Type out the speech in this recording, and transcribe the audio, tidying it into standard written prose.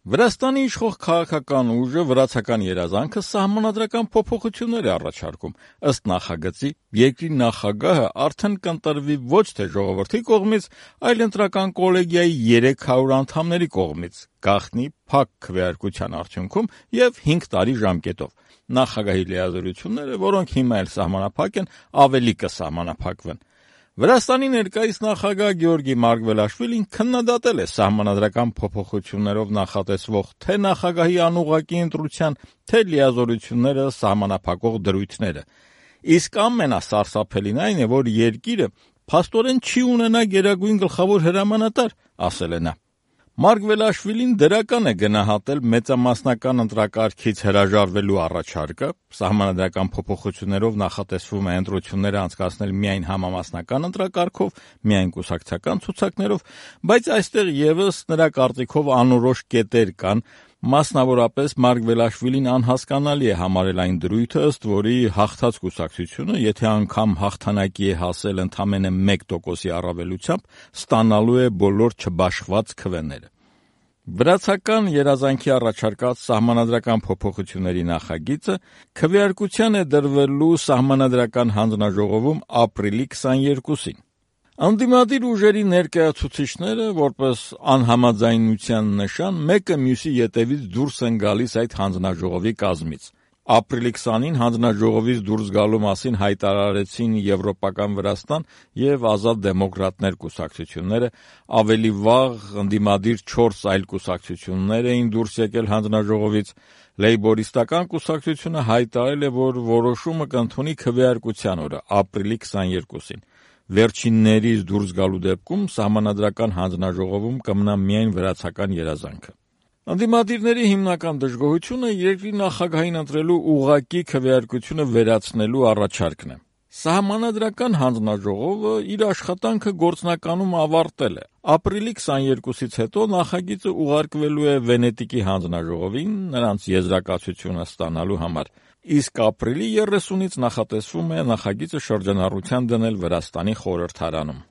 Վրաստանի իշխող քաղաքական ուժը վրացական երազանքը սահմանադրական փոփոխություններ է առաջարկում։ Ըստ նախագծի, երկրի նախագահը արդեն կընտրվի ոչ թե ժողովրդի կողմից, այլ ընտրական կոլեգիայի 300 անդամների կողմից, գաղտնի փակ քվեարկության արդյունքում եւ 5 տարի ժամկետով։ Նախագահի լիազորությունները, որոնք հիմա էլ սահմանափակ են, ավելի կսահմանափակվեն։ Վրաստանի ներկայիս նախագահ Գեորգի Մարգվելաշվիլին քննադատել է սահմանադրական փոփոխություններով նախատեսվող թե նախագահի անուղղակի ընտրության, թե լիազորությունները սահմանափակող դրույթները։ Իսկ ամենասարսափելին այն է, որ երկիրը փաստորեն չի ունենա գերագույն գլխավոր հրամանատար, ասել է նա։ Մարգվելաշվիլին դրական է գնահատել մեծամասնական ընտրակարգից հրաժարվելու առաջարկը, սահմանադրական փոփոխություններով նախատեսվում է ընտրությունները անցկացնել միայն համամասնական ընտրակարգով, միայն կուսակցական ցուցակներով, բայց այստեղ եւս նրա կարծիքով անորոշ կետեր կան, մասնավորապես Մարգվելաշվիլին անհասկանալի է համարել այն դրույթը, ըստ որի հաղթած կուսակցությունը, եթե անգամ հաղթանակի է հասել ընդամենը 1%-ի առավելությամբ, ստանալու է բոլոր չբաշխված քվեները։ Վրացական երազանքի առաջարկած սահմանադրական փոփոխությունների նախագիծը քվեարկության է դրվելու սահմանադրական հանձնաժողովում ապրիլի 22-ին։ Ընդդիմադիր ուժերի ներկայացուցիչները, որպես անհամաձայնության նշան, մեկը մյուսի ետևից դուրս են գալիս այդ հանձնաժողովի կազմից։ Ապրիլի 20-ին հանձնաժողովից դուրս գալու մասին հայտարարեցին Եվրոպական Վրաստան եւ Ազատ դեմոկրատներ կուսակցությունները, ավելի վաղ ընդդիմադիր 4 այլ կուսակցություններ էին դուրս եկել հանձնաժողովից։ Լեյբորիստական կուսակցությունը հայտարարել է, որ որոշումը կընդունի քվեարկության օրը, ապրիլի 22-ին։ Վերջիններից դուրս գալու դեպքում սահմանադրական հանձնաժողովում կմնա միայն վրացական երազանքը։ Ընդդիմադիրների հիմնական դժգոհությունը երկրի նախագահին ընտրելու ուղղակի քվեարկությունը վերացնելու առաջարկն է։ Սահմանադրական հանձնաժողովը իր աշխատանքը գործնականում ավարտել է։ Ապրիլի 22-ից հետո նախագիծը ուղարկվելու է Վենետիկի հանձնաժողովին նրանց եզրակացությունը ստանալու համար, իսկ ապրիլի 30-ից նախատեսվում է նախագիծը շրջանառության դնել Վրաստանի խորհրդարանում։